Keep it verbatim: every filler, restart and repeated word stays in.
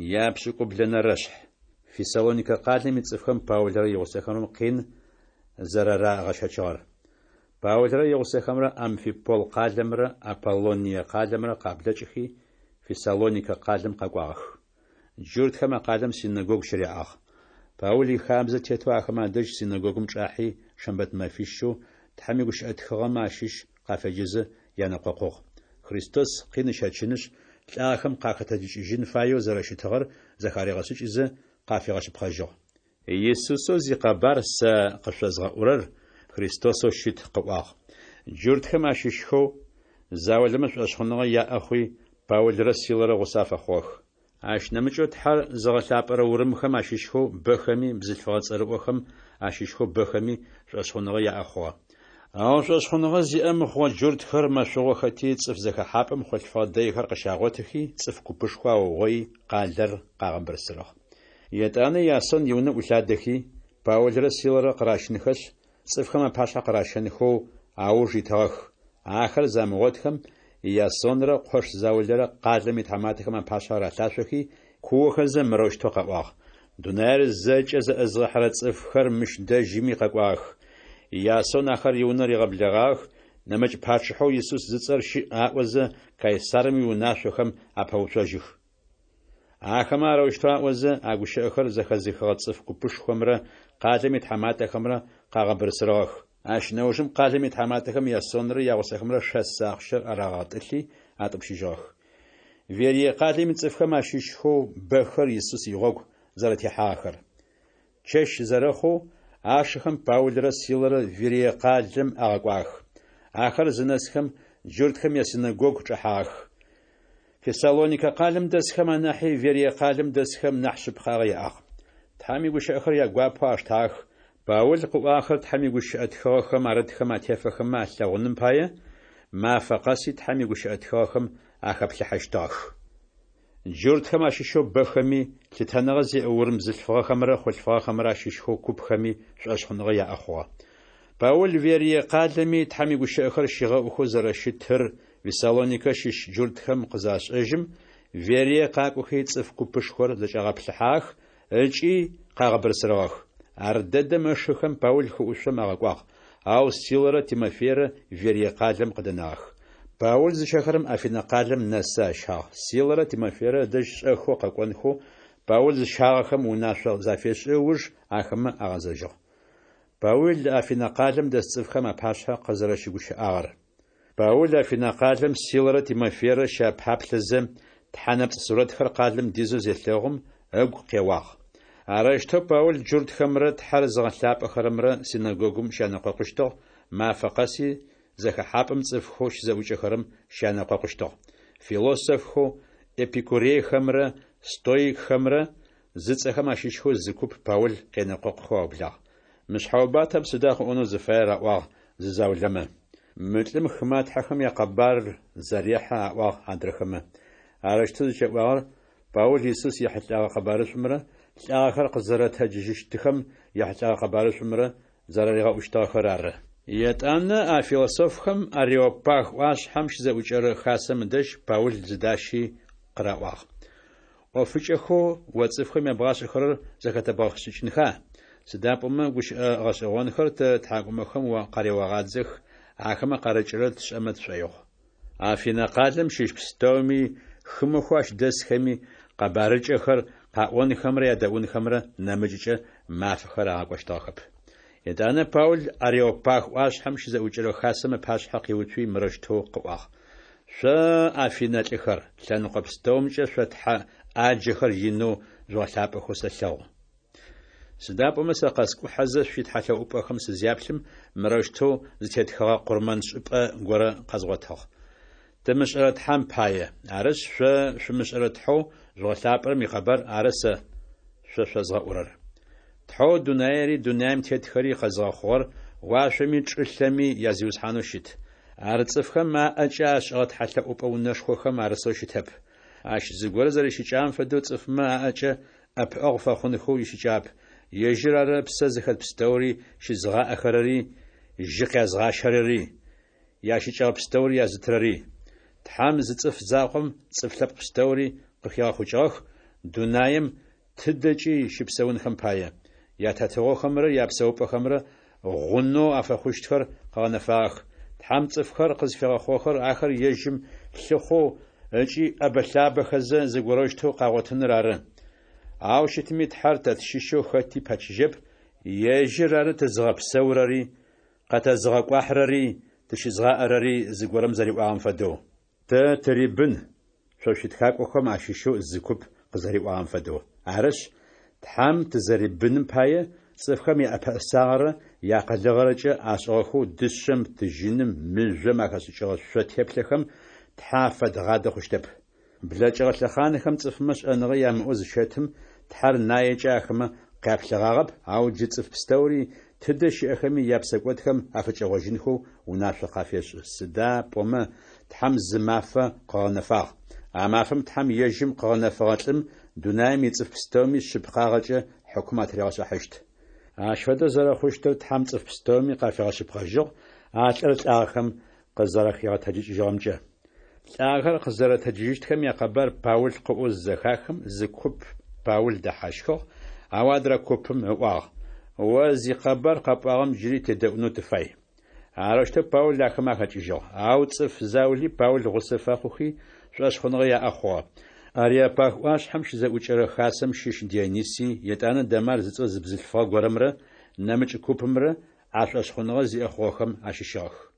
Япшӏыкӏублэнэрэшъхь. Фессалоникэ къалэм ицӏыфхэм Паулрэ игъусэхэмрэ къин зэрарагъэщэчыгъэр. Паулрэ игъусэхэмрэ Амфипол къалэмрэ Аполлоние къалэмрэ къаблэкӏхи, Фессалоникэ къалэм къэкӏуагъэх. Джуртхэм а къалэм синэгогу щыряӏагъ. Паул ихабзэ тетэу ахэмэ адэжь синэгогум чӏахьи, шэмбэт мэфищэу Тхьэм игущыӏэ тхыгъэмэ ащыщ къафеджэзэ янэкъокъугъ. Христос къин ыщэчынышъ, лӏагъэхэм къахэтэджыкӏыжьын фаеу зэрэщытыгъэр зэхаригъэшӏыкӏызэ, къафигъэшъыпкъэжьыгъ. Исусэу зикъэбар сэ къышъозгъэӏурэр Христосэу щыт, къыӏуагъ. Джуртхэм ащыщхэу заулэмэ шӏошъхъуныгъэ яӏэ хъуи, Паулрэ Силэрэ гъусэ афэхъугъэх. Ащ нэмыкӏэу Тхьэр зыгъэлъапӏэрэ урымхэм ащыщхэу бэхэми бзылъфыгъэ цӏэрыӏохэм ащыщхэу бэхэми шӏошъхъуныгъэ яӏэ хъугъэ. Ау шӏошъхъуныгъэ зиӏэ мыхъугъэ джуртхэр мэшъугъохэти, цӏыф зэхэхьапӏэм хъулъфыгъэ дэйхэр къыщагъотыхи, цӏыф купышхо аугъоий, къалэр къагъэбырсырыгъ. Етӏанэ Иасон иунэ ӏулъадэхи, Паулрэ Силэрэ къыращынхэшъ, цӏыфхэм апашъхьэ къыращэнхэу ауж итыгъэх. Ахэр замыгъотхэм, Иасонрэ къош заулэрэ къалэм итхьаматэхэм апашъхьэ ралъашъохи, куохэзэ мырэущтэу къаӏуагъ: Дунаер зэкӏэ зэӏызгъэхьэрэ цӏыфхэр мыщ дэжьыми къэкӏуагъэх. Иасон ахэр иунэ ригъэблэгъагъэх, нэмыкӏ пачъыхьэу Исус зыцӏэр щыӏ аӏозэ, Кайсарым иунашъохэм апэуцужьых. Ахэмэ арэущтэу аӏозэ, а гущыӏэхэр зэхэзыхыгъэ цӏыф купышхомрэ къалэм итхьаматэхэмрэ къагъэбырсырыгъэх. Ащ нэужым къалэм итхьаматэхэм Иасонрэ ягъусэхэмрэ шэс ахъщэр арагъэтӏылъи атӏупщыжьыгъэх. Верие къалэм ицӏыфхэм ащыщхэу бэхэр Исус игъогу зэрэтехьагъэхэр. Чэщ зэрэхъоу, ашыхэм Паулрэ Силэрэ Верие къалэм агъэкӏуагъэх. Ахэр зынэсхэм, джуртхэм ясинэгогу чӏэхьагъэх. Фессалоникэ къалэм дэсхэм анахьи Верие къалэм дэсхэм нахь шъыпкъагъэ яӏагъ. Тхьэм игущыӏэхэр ягуапэу аштагъэх. Паул къыӏуагъэхэр Тхьэм игущыӏэ тхыгъэхэм арытхэм атефэхэмэ алъэгъуным пае, мафэ къэси Тхьэм игущыӏэ тхыгъэхэм ахэплъыхьэщтыгъэх. Джуртхэм ащыщэу бэхэми, лъытэныгъэ зиӏэ урым бзылъфыгъэхэмрэ хъулъфыгъэхэмрэ ащыщхэу купхэми шӏошъхъуныгъэ яӏэ хъугъэ. Паул Верие къалэми Тхьэм игущыӏэхэр щигъэӏухэу зэрэщытыр Фессалоникэ щыщ джуртхэм къызашӏэжьым, Верие къакӏохи цӏыф купышхор зэкӏагъэплъыхьагъэх ыкӏи къагъэбырсырыгъэх. Ардэдэм ышыхэм Паул хыӏушъом агъэкӏуагъ, ау Силэрэ Тимофейрэ Верие къалэм къыдэнагъэх. Паул зыщэхэрэм Афинэ къалэм нэсы ащагъ. Силэрэ Тимофейрэ ыдэжь шӏэхэу къэкӏонхэу Паул зыщагъэхэм унашъо зафешӏы ыуж ахэмэ агъэзэжьыгъ. Паул Афинэ къалэм дэс цӏыфхэм апашъхьэ къызэрэщыгущыӏагъэр. Паул Афинэ къалэм Силэрэ Тимофейрэ щапаплъэзэ, тхьэ нэпцӏ сурэтхэр къалэм дизэу зелъэгъум, ыгу къеуагъ. Арэущтэу Паул джуртхэмрэ Тхьэр зыгъэлъапӏэхэрэмрэ синэгогум щянэкъокъущтыгъ, мафэ къэси зэхэхьапӏэм цӏыфхэу щызэӏукӏэхэрэм щянэкъокъущтыгъ. Философхэу эпикурейхэмрэ стоикхэмрэ зыцӏэхэм ащыщхэу зы куп Паул къенэкъокъухэу аублагъ. Мы шъхьэубатэм сыда къыӏонэу зыфаер аӏуагъ зы заулэмэ. Мы лӏым хымэ тхьэхэм якъэбар зэрехьэ, аӏуагъ адрэхэмэ. Арэущтэу зыкӏаӏуагъэр Паул Исус ехьылӏэгъэ къэбарышӏумрэ лӏагъэхэр къызэрэтэджыжьыщтыхэм ехьылӏэгъэ къэбарышӏумрэ зэраригъэӏущтыгъэхэр ары. Етӏанэ а философхэм Ареопаг ӏуашъхьэм щызэӏукӏэрэ хасэм ыдэжь Паул зыдащи къыраӏуагъ: ӏофыкӏэхэу о цӏыфхэм ябгъашӏэхэрэр зэхэтэбгъэшӏыкӏынха? Сыда пӏомэ гущыӏэ гъэшӏэгъонхэр тэ ттхьакӏумэхэм о къареогъадзэх, ахэмэ къарыкӏырэр тшӏэмэ тшӏоигъу. Афинэ къалэм щыщ пстэуми, хымэхэу ащ дэсхэми къэбарыкӏэхэр къаӏонхэмрэ ядэӏунхэмрэ нэмыкӏкӏэ мафэхэр агъакӏощтыгъэхэп. Етӏанэ Паул Ареопаг ӏуашъхьэм щызэӏукӏэрэ хасэм ыпашъхьэ къиуцуи мырэущтэу къыӏуагъ: Шъо, афинэ лӏыхэр, лъэныкъо пстэумкӏэ шъо тхьэ ӏаджэхэр инэу жъугъэлъапӏэхэу сэлъэгъу. Сыда пӏомэ сэ къэскӏухьэзэ шъуитхьэлъэӏупӏэхэм сызяплъым, мырэущтэу зытетхэгъэ къурмэншӏыпӏэ горэ къэзгъотыгъ: Тымышӏэрэ Тхьэм пае. Арышъ, шъо шъумышӏэрэ Тхьэу жъугъэлъапӏэрэм икъэбар ары сэ шъо шъозгъэӏурэр. Тхьэу дунаери дунаим тетхэри къэзыгъэхъугъэр уашъоми чӏылъэми я Зиусхьанэу щыт. Ар цӏыфхэм аӏэкӏэ ашӏыгъэ тхьэлъэӏупӏэ унэшхохэм арысэу щытэп. Ащ зыгорэ зэрищыкӏагъэм фэдэу цӏыфмэ аӏэкӏэ ӏэпыӏэгъу фэхъунхэу ищыкӏагъэп, ежьыр ары псэ зыхэт пстэури щызыгъаӏэхэрэри, жьы къязгъащэрэри, ящыкӏэгъэ пстэури язытырэри. Тхьэм зы цӏыф закъом цӏыф лъэпкъ пстэури къыхигъэхъукӏыгъэх, дунаем тыдэкӏи щыпсэунхэм пае. Ятетыгъохэмрэ япсэупӏэхэмрэ гъунэу афэхъущтхэр къыгъэнэфагъэх. Тхьэм цӏыфхэр къызфигъэхъугъэхэр ахэр ежьым лъыхъоу ыкӏи ӏэбэ-лъабэхэзэ зыгорэущтэу къагъотыныр ары. Ау щытми, Тхьэр тэ тщыщэу хэти пэчыжьэп, Ежьыр ары тызыгъэпсэурэри, къэтэзыгъэкӏуахьырэри, тыщызгъаӏэрэри, зыгорэм зэриӏуагъэм фэдэу. Тэ тырибын, шъо шъуитхакӏохэм ащыщэу зы куп къызэриӏуагъэм фэдэу. Арышъ, Тхьэм тызэрибыным пае, цӏыфхэм яӏэпэӏэсагъэрэ яакъылыгъэрэкӏэ ашӏыгъэхэу дышъэм, тыжьыным, мыжъом ахэшӏыкӏыгъэ шъо теплъэхэм Тхьэ афэдгъадэ хъущтэп. Блэкӏыгъэ лъэхъанхэм цӏыфмэ шӏэныгъэ ямыӏэу зыщэтым, Тхьэр наекӏэ ахэмэ къяплъыгъагъэп, ау джы цӏыф пстэури, тыдэ щыӏэхэми, япсэкӏодхэм афыкӏэгъожьынхэу унашъо къафешӏы. Сыда пӏомэ Тхьэм зы мафэ къыгъэнэфагъ. А мафэм Тхьэм ежьым къыгъэнэфэгъэ лӏым дунаем ицӏыф пстэуми шъыпкъагъэкӏэ хьыкум атыригъэшӏыхьащт. Ащ фэдэу зэрэхъущтыр Тхьэм цӏыф пстэуми къафигъэшъыпкъэжьыгъ, а лӏыр лӏагъэхэм къызэрэхигъэтэджыкӏыжьыгъэмкӏэ. Лӏагъэхэр къызэрэтэджыжьыщтхэм якъэбар Паул къыӏоу зызэхахым, зы куп Паул дэхьащхыгъ, ау адрэ купым ыӏуагъ: О зикъэбар къэпӏуагъэм джыри тедэӏунэу тыфай. Арэущтэу Паул ахэмэ ахэкӏыжьыгъ. Ау цӏыф заули Паул гъусэ фэхъухи, шӏошъхъуныгъэ яӏэ хъугъэ. Ареопаг ӏуашъхьэм щызэӏукӏэрэ хасэм щыщ Дионисий, етӏанэ Дамар зыцӏэ зы бзылъфыгъэ горэмрэ нэмыкӏ купымрэ а шӏошъхъуныгъэ зиӏэ хъугъэхэм ащыщыгъэх.